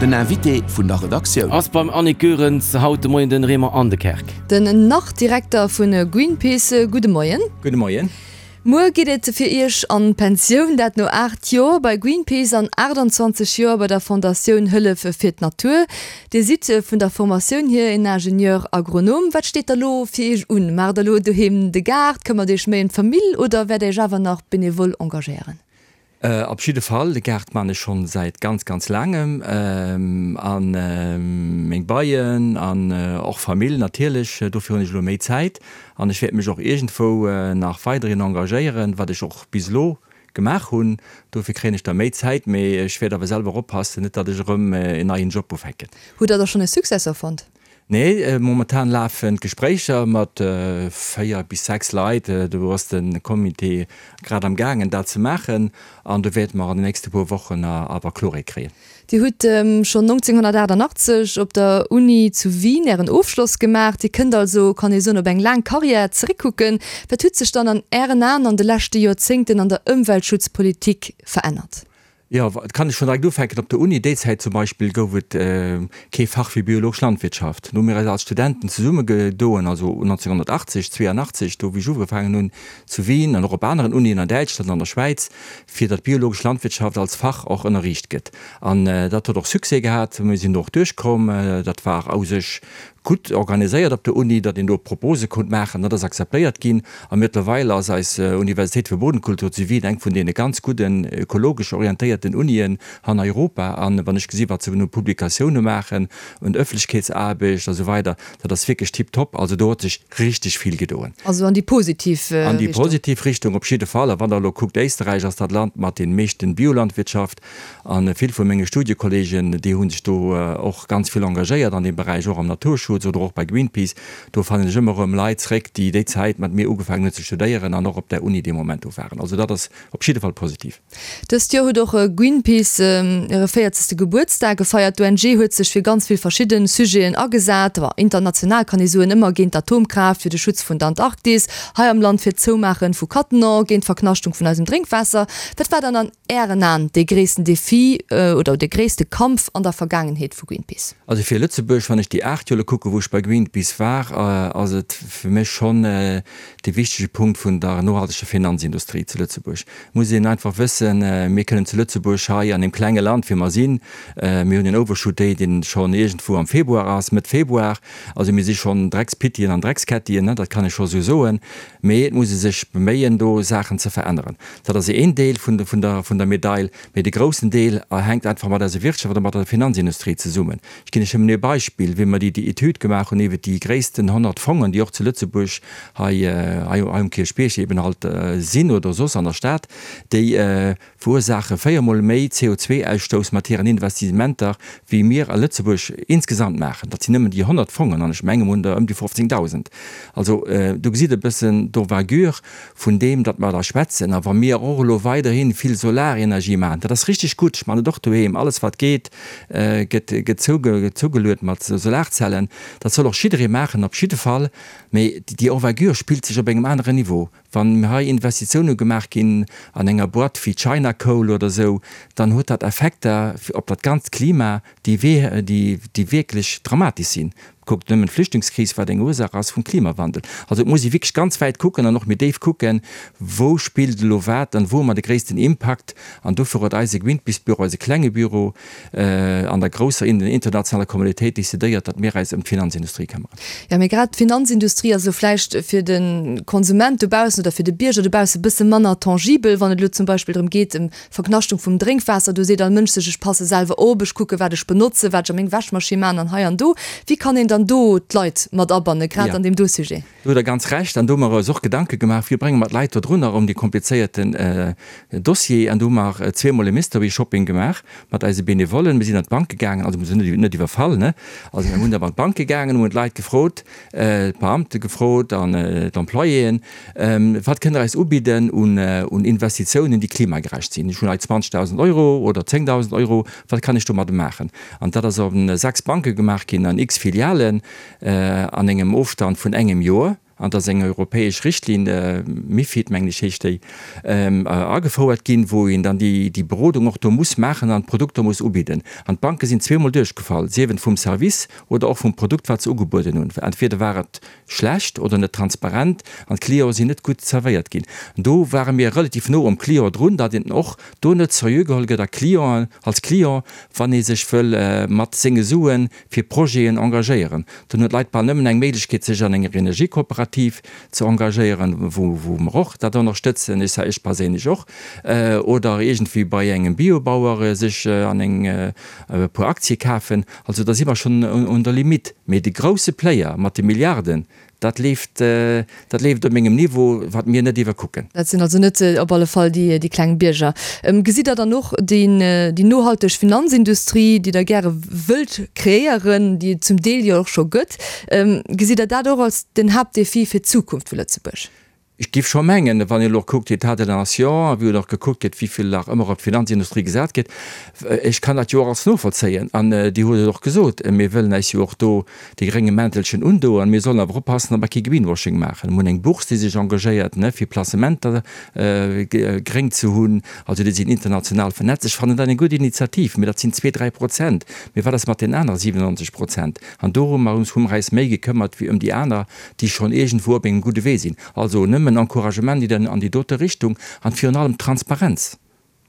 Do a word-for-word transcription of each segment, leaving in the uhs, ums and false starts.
Den Invité vun der Redaktioun. Ass beim Annick Goerens haut de Moien den Raymond Aendekerk. Den Nach-Direkter vu Greenpeace, gudde Moien. Gudde Moien. Muer geet et fir Iech an d'Pensioun, dat no aacht Joer bei Greenpeace an aachtanzwanzeg Joer bei der Fondatioun Hëllef fir d'Natur. Dir sidd vun der Formatioun hier en Ingenieur Agronome. Wat steet da lo fir Iech un? Maacht der lo doheem de Gaart, këmmert Iech méi ëm d'Famill oder wäert Iech awer nach benevol engagéieren? Op jidde Fall, de Gaart man ech schonn säit ganz, ganz laangem an meng Beien an och Famill natierlech. Dofir hunn ech elo méi Zäit an ech wäert mech och iergendwou nach weiderhin engagéieren, wat ech och bis elo gemaach hunn. Dofir kréien ech da méi Zäit, mee ech wäert awer selwer oppassen, net datt ech erëm en neien Job ufänken. Hutt Der da schonn e Successor fonnt? Nee, momentan lafen d'Gespréicher mat véier bis sechs Leit. Do ass de Comité grad am gaangen dat ze maachen an do wäerte mer an den nächste puer Wochen awer Kloerheet kréien. Dir hutt schonn nonzénghunnertaachtanachtzeg op der Uni zu Wien Ären Ofschloss gemaach. Dir kënnt also, kann ee soen, op eng laang Karriär zeréckkucken. Wat huet sech dann an Ären Aen an de leschte Joerzéngten an der Ëmweltschutzpolitik verännert? Jo, et kann ech schonn direkt ufänken. Op der Uni déi Zäit zum Beispill gouf et kee Fach fir biologesch Landwirtschaft. Do hu mir eis als Studenten zesummegedoen, also nonzénghunnertachtzeg, zweeanachtzeg, do wéi ech ugefaangen hunn zu Wien an och op aneren Unien an Däitschland an der Schwäiz, fir datt biologesch Landwirtschaft als Fach och ënnerriicht gëtt. An dat huet och Succès gehat, mir sinn do och duerchkomm. Dat war u sech gutt organiséiert op der Uni, datt een do Propose konnt maachen, dat ass akzeptéiert ginn a mëttlerweil ass eis Universitéit für Bodenkultur zu Wien eng vun deene ganz gudden ökologesch orientéierten Unien an Europa. An wann ech gesi wat se un Publikatioune maachen, un Ëffentlechkeetsaarbecht a sou weider, dat ass wierklech tiptop. Also do huet sech richteg vill gedoen. Also an déi positiv Richtung. An déi positiv Richtung op jidde Fall. A wann Der elo kuckt, Éisterräich ass dat Land mat deem meeschten Biolandwirtschaft. A vill vu menge Studiekolleegen, déi hu sech do och ganz vill engagéiert an deem Beräich, och am Naturschutz oder och bei Greenpeace. Do fannen ech ëmmer erëm Leit zréck, déi déi Zäit mat mir ugefaangen hunn ze studéieren an och op der Uni dee Moment do waren. Also dat ass op jidde Fall positiv. Dëst Joer huet och Greenpeace hire véierzegste Gebuertsdag gefeiert. D'O N G huet sech fir ganz vill verschidde Sujeten agesat, international kann ee soen, ëmmer géint d'Atomkraaft, fir de Schutz vun der Antarktis, hei am Land fir d'Zoumaache vu Cattenom, géint d'Verknaschtung vun eisem Drénkwaasser. Wat war dann an Ären Aen dee gréissten Defi oder dee gréisste Kampf an der Vergaangenheet vu Greenpeace? Also fir Lëtzebuerg, wann ech déi aacht Joer elo kucken, wou ech bei Greenpeace war, ass et fir mech schonn dee wichtege Punkt vun der nohalteger Finanzindustrie zu Lëtzebuerg. Et muss een einfach wëssen, mir kënnen zu Lëtzebuerg hei an deem klenge Land, wéi mer sinn, mir hunn en Overshoot Day, deen schonn iergendwou am Februar ass, Mëtt Februar, also mir si schonn Dreckspittien an Dreckskettien, dat kann ech scho sou soen, mee et muss ee sech beméien, do Saachen ze veränneren. Dat ass een Deel vun der vun der Medail, mee de groussen Deel hänkt einfach mat eiser Wirtschaft a mat der Finanzindustrie zesummen. Ech ginn lech nëmmen ee Beispill, Wéi mer déi déi Etüd gemaach hunn iwwert déi gréissten honnert Fongen, déi och zu Lëtzebuerg hei hei um Kierchbierg eben halt sinn oder soss an der Stad, déi verursaache véiermol méi C O zwei Ausstouss mat hiren Investissementer, wéi mir a Lëtzebuerg insgesamt maachen. Dat sinn nëmmen déi honnert Fongen, an ech menge mer hunn der ëm déi fofzéngdausend. Also do gesitt Der e bëssen d'Envergure vun deem, datt mer da schwätzen. A wa mir och elo weiderhi vill Solarenergie maachen, dat ass richteg gutt, ech maachen et och doheem, alles wat geet, gëtt gëtt zougeluet mat Solarzellen, dat soll och jidderee maachen, op jidde Fall, mee déi Envergure spillt sech op engem aneren Niveau. Wann hei Investitioune gemaach ginn an enger Boîte wéi China Coal oder esou, dann huet dat Effekter op dat ganzt Klima, déi déi wierklech dramatesch sinn. Kuckt nëmmen d'Flüchtlingskris, wat eng Ursaach ass vum Klimawandel. Also et muss ee wierklech ganz wäit kucken an och méi déif kucken, wou spillt elo wat an wou hu mer de gréissten Impakt. An dofir huet eise Greenpeace-Büro, eise klenge Büro an der grousser internationaler Communautéit decidéiert, datt mir eis ëm d'Finanzindustrie këmmeren. Jo, mee grad d'Finanzindustrie ass elo vläicht fir de Konsument dobaussen oder fir de Bierger dobausse bësse manner tangibel, wann et elo zum Beispill drëm geet, ëm Verknaschtung vum Drénkwaasser, do seet all Mënsch sech, ech passe selwer op, ech kucke wat ech benotze, wat ech a meng Wäschmaschinn man an hei an do. Wéi kann een dann do d'Leit mat abannen, grad an deem do Sujet? Do hutt Der ganz Recht. An do hu mer eis och Gedanke gemaach, wéi brénge mer d'Leit do drunner ëm dee komplizéierten Dossier. An do hu mer zweemol e Mystery Shopping gemaach mat eise Benevollen. Mir sinn an d'Banke gaangen, also mir sinn net iwwerfall, ne? Also mir hunn awer an d'Banke gaangen, hunn d'Leit gefrot, d'Beamte gefrot an d'Employéen, Wat kënnt Der eis ubidden un Investitiounen, déi klimagerecht sinn? Ech hunn hei zwanzegdausend Euro oder zéngdausend Euro, wat kann ech domadde maachen? An dat ass op sechs Banke gemaach ginn an x Filialen an engem Ofstand vun engem Joer. An da ass eng europäesch Richtlinn, MiFID mengen ech heescht déi, agefouert ginn, wou een dann déi Berodung och do muss maachen an d'Produkter muss ubidden. An d'Banke sinn zweemol duerchgefall, sief et vum Service oder och vum Produkt, wat se ugebueden hunn. Entweder war et schlecht oder net transparent an d'Cliente sinn net gutt zerwéiert ginn. An do ware mir relativ no um Client drun, datt een och do net seriö geholl gëtt a Clienten, als Client, wann ee sech wëll mat senge Sue fir Projeten engagéieren. Dann hunn d'Leit bal nëmmen eng Méiglechkeet, sech an enger Energiekooperativ ze engagéieren, wou wou mer och dat ënnerstëtzen, ech ech perséinlech och, oder iergendwéi bei engem Biobauer sech an eng e puer Aktie kafen. Also da si mer schonn un der Limite. Mee de grousse Player mat de Milliarden, dat leeft, dat leeft op mengem Niveau, wat mir net iwwerkucken. Dat sinn also net op alle Fall déi déi kleng Bierger. Gesitt Der dann och deen, déi nohalteg Finanzindustrie, déi Der gäre wëllt kreéieren, déi et zum Deel jo och scho gëtt, gesitt Der dat och als den Haaptdefi fir d'Zukunft vu Lëtzebuerg? Ech géif scho mengen, wann een elo och kuckt, État de la nation, a wéi och gekuckt gëtt, wéi vill nach ëmmer op d'Finanzindustrie gesat gëtt, ech kann dat jo och als novollzéien. An Dir hutt et och gesot, mir wëllen eis jo och do dee grénge Mäntelchen undoen. Mir sollen awer oppassen, datt mer kee Greenwashing maachen. Mir hunn eng Bourse, déi sech engagéiert, ne, fir Placementer gréng ze hunn. Also déi sinn international vernetzt. Ech fannen dat eng gutt Initiativ, mee dat sinn zwee, dräi Prozent. Mee wat ass mat den anere siwenundneunzeg Prozent? An dorëmmer hu mer eis méi gekëmmert wéi ëm déi aner, déi schonn iergendwou op engem gudde Wee sinn. Also nëmmen Encouragement an déi dote Richtung an virun allem Transparenz.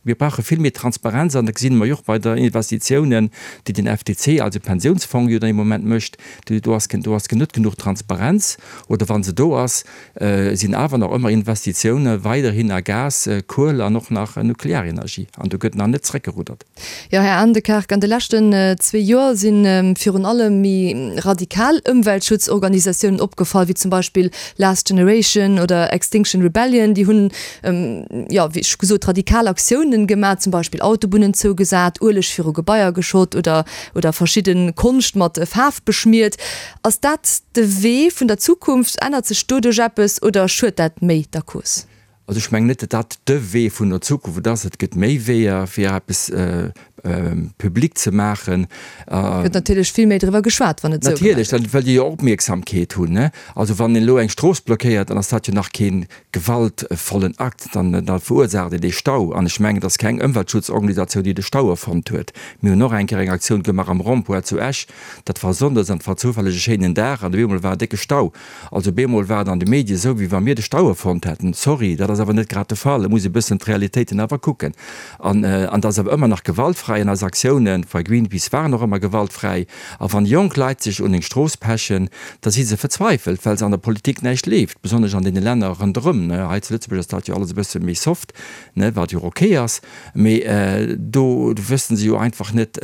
Mir brauche vill méi Transparenz an dat gesinn mer jo och bei der Investitiounen, déi den F D C, also Pensiounsfong, jo dann im Moment mécht. Do ass do ass net genuch Transparenz oder wa se do ass, sinn awer nach ëmmer Investitioune weiderhin a Gas, Kuel an och nach Nuklearenergie an do gëtt nach net zréckgeruddert. Jo, Här Aendekerk, an de leschten zwee Joer si virun allem méi radikal Ëmweltschutzorganisatiounen opgefall, wéi zum Beispill Last Generation oder Extinction Rebellion. Déi hunn, jo, wéi scho gesot, radikal Aktiounen gemaach, zum Beispill Autobunnen zougesat, Ueleg viru Gebaier geschott oder oder verschidde Konscht mat Faarf beschmiert. Ass dat de Wee vun der Zukunft? Ännert sech doduerch eppes oder schuet dat méi der Cause? Also ech mengen net, datt dat de Wee vun der Zukunft ass. Et gëtt méi Weeër, fir eppes public ze maachen. Gëtt natierlech vill méi driwwer geschwat, wann et esou gemaach Natierlech, gëtt. dann wëllt Dir jo Opmierksamkeet hunn, ne? Also wann een elo eng Strooss blockéiert, dann ass dat jo nach kee gewaltvollen Akt, dann da verursaacht een dee Stau. An ech mengen, et ass keng Ëmweltschutzorganisatioun, déi de Stau erfonnt huet. Mir hunn och eng Kéier eng Aktioun gemaach am Rond-point zu Esch, dat war sonndes an et war zoufälleg e schéinen Dag an op eemol war e décke Stau. Also bemol war et an de Medie esou, wéi wa mir de Stau erfonnt hätten. Sorry, dat ass awer net grad de Fall. Et muss ee bëssen d'Realitéiten awer kucken. An an dat ass awer ëmmer nach gewaltfräi an eis Aktiounen bei Greenpeace waren och ëmmer gewaltfräi. A wann jonk Leit sech un eng Strooss pechen, da si se verzweifelt, well se an der Politik näischt leeft, besonnesch an deene Länner ronderëm. Hei zu Lëtzebuerg ass dat jo alles e bësse méi soft, wat jo och ok ass, mee do wëssen se jo einfach net,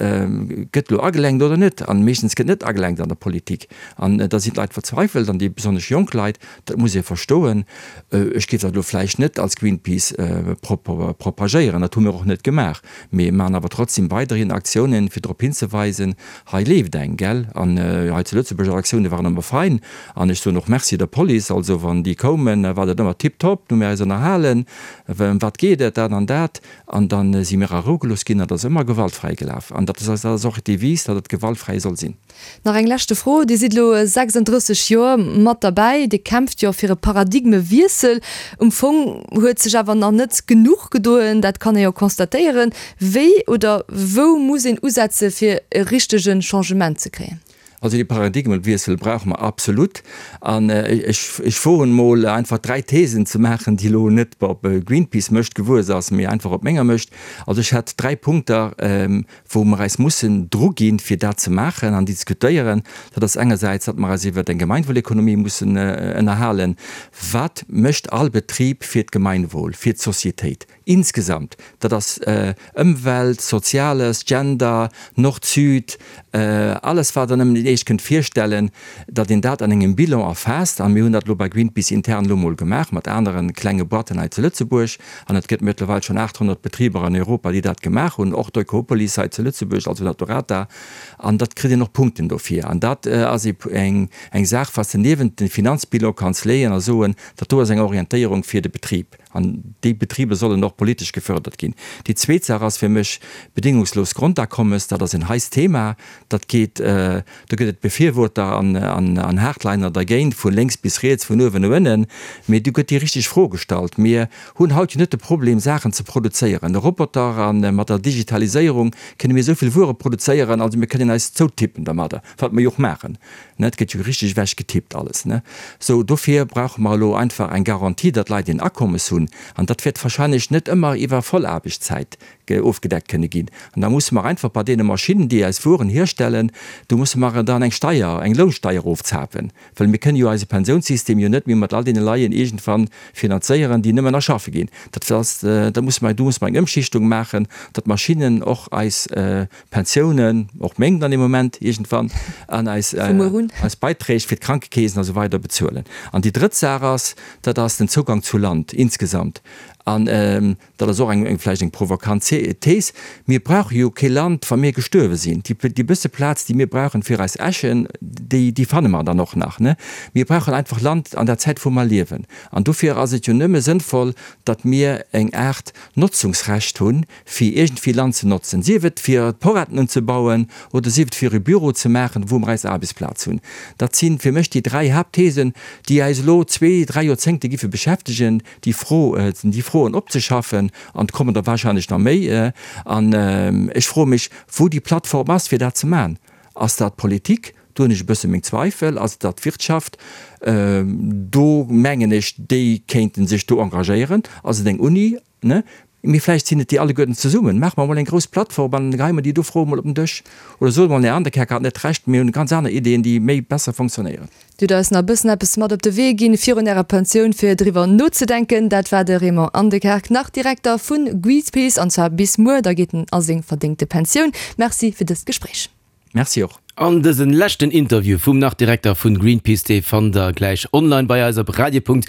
gëtt elo agelenkt oder net. An meeschtens gëtt net agelenkt an der Politik. An da sinn d'Leit verzweifelt, an déi besonnesch jonk Leit, dat muss ee verstoen. Ech géif dat elo vläicht net als Greenpeace propagéieren, dat hu mir och net gemaach, mee maachen awer trotzdem weiderhin Aktiounen, fir drop hinzeweisen, hei leeft eng, gell. An hei zu Lëtzebuerg, eis Aktioune waren ëmmer fein an ech soen och Merci der Police, also wann déi koumen, war dat ëmmer tiptop, hu mir eis ënnerhalen, ëm wat geet et, dat an dat, an da si mir a Rou gelooss ginn an dat ass ëmmer gewaltfräi gelaf. An dat ass och d'Devise, datt et gewaltfräi soll sinn. Nach eng leschte Fro, Dir sidd elo sechsunddrësseg Joer mat derbäi, Dir kämpft jo fir e Paradigmewiessel. Um Fong huet sech awer nach net genuch gedoen, dat kann ee jo constatéieren. Wéi oder wou muss een usetze fir e richtege Changement ze kréien? Also dee Paradigmewiessel brauche mer absolut. An ech ech woen emol einfach dräi Thesen ze maachen, déi elo net op Greenpeace Mëscht gewuess ass, mee einfach op menger Mëscht. Also ech hätt dräi Punkter, wou mer eis mussen druginn, fir dat ze maachen an diskutéieren. Dat ass engersäits, datt mer eis iwwert eng Gemeinwohlekonomie mussen ënnerhalen. Wat mécht all Betrib fir d'Gemeinwohl, fir d'Societéit insgesamt? Dat ass Ëmwelt, Soziales, Gender, Nord-Süd, alles wat Der nëmmen Iech kënnt virstellen, datt een dat an engem Bilan erfaasst. A mir hunn dat elo bei Greenpeace intern elo mol gemaach mat anere klenge Boîten hei zu Lëtzebuerg. An et gëtt mëttlerweil schonn achthonnert Betriber an Europa, déi dat gemaach hunn, och d'Oikopolis hei zu Lëtzebuerg, also Naturata. An dat kritt een och Punkten dofir. An dat ass eng Saach, wat s de niewent de Finanzbilan kanns leeën a soen, dat do ass eng Orientéierung fir de Betrib. An déi Betriber sollen och politesch gefördert ginn. Déi zweet Saach ass fir mech bedingungslos Grondakommes. Dat ass en heißt Thema. Dat geet, do Do gëtt et Befirworter an, an, an Hardliner dergéint, vu lénks bis riets, vun uewen no ënnen. Mee do gëtt déi richteg Fro gestallt. Mir hunn haut jo net de Problem, Saachen ze produzéieren. De Roboter a mat der Digitaliséierung kënne mir esou vill Wuere produzéieren, also mir kënnen eis zoutippen dermadder, wat mer jo och maachen, ne. Et gëtt jo richteg ewech getippt alles, ne. Sou, dofir brauche mer elo einfach eng Garantie, datt d'Leit een Akommes hunn. An dat wäert wahrscheinlech net ëmmer iwwer Vollaarbechtszäit ofgedeckt kënne ginn. An da musse mer einfach bei deene Maschinnen, déi eis Wueren hierstellen, do musse mer dann eng Steier, eng Lounsteier erofzapen, well mir kënne jo eise Pensiounssystem jo net méi mat all deene Leien iergendwann finanzéieren, déi nëmmen nach schaffe ginn. Dat ass, da musse mer, do musse mer eng Ëmschichtung maachen, datt d'Maschinnen och eis Pensiounen, och meng dann ee Moment iergendwann, an eis, eis Beiträg fir d'Krankekeesen a sou weider bezuelen. An déi drëtt Saach ass, dat ass den Zougang zu Land insgesamt. An dat ass och eng vläicht eng provokant Thes, Mir brauche jo kee Land, wa mir gestuerwe sinn. Déi bësse Plaz, déi mir brauchen fir eis Äschen, déi déi fanne mer dann och nach. Mir brauchen einfach Land an der Zäit, wou mer liewen. An dofir ass et jo nëmme sënnvoll, datt mir eng Aart Notzungsrecht hunn, fir iergendwéi Land ze notzen, sief et fir Porretten unzebauen oder sief et fir e Büro ze maachen, wou mer eis Aarbechtsplaz hunn. Dat si fir mech déi dräi Haaptthesen, déi eis elo zwee, dräi Joerzéngte giffe beschäftegen, déi Fro, déi Froen opzeschaffen, an et kommen der wahrscheinlech nach méi. An ech froe mech, wou déi Plattform ass, fir dat ze maachen. Ass dat d'Politik? Do hunn ech e bësse meng Zweifel. Ass et dat d'Wirtschaft? Do mengen ech, déi kéinte sech do engagéieren. Ass et eng Uni? Mee vläicht sinn et déi alleguerten zesummen. Maache mer emol eng grouss Plattform an geheie mer déi do Froe mol op den Dësch. Oder soe mer, Här Anderkerk hat net Recht, mir hunn ganz aner Ideeën, déi méi besser fonctionnéieren. Dir hutt eis nach e bëssen eppes mat op de Wee ginn, virun Ärer Pensioun, fir driwwer nozedenken. Dat war de Raymond Anderkerk, nach Direkter vu Greenpeace, an zwar bis muer, da geet en a seng verdéngte Pensioun. Merci fir dëst Gespréich. Merci och. An dësen leschten Interview vum Nach-Direkter vun Greenpeace, dee fannt der gläich online bei eis op radio.rtl.lu.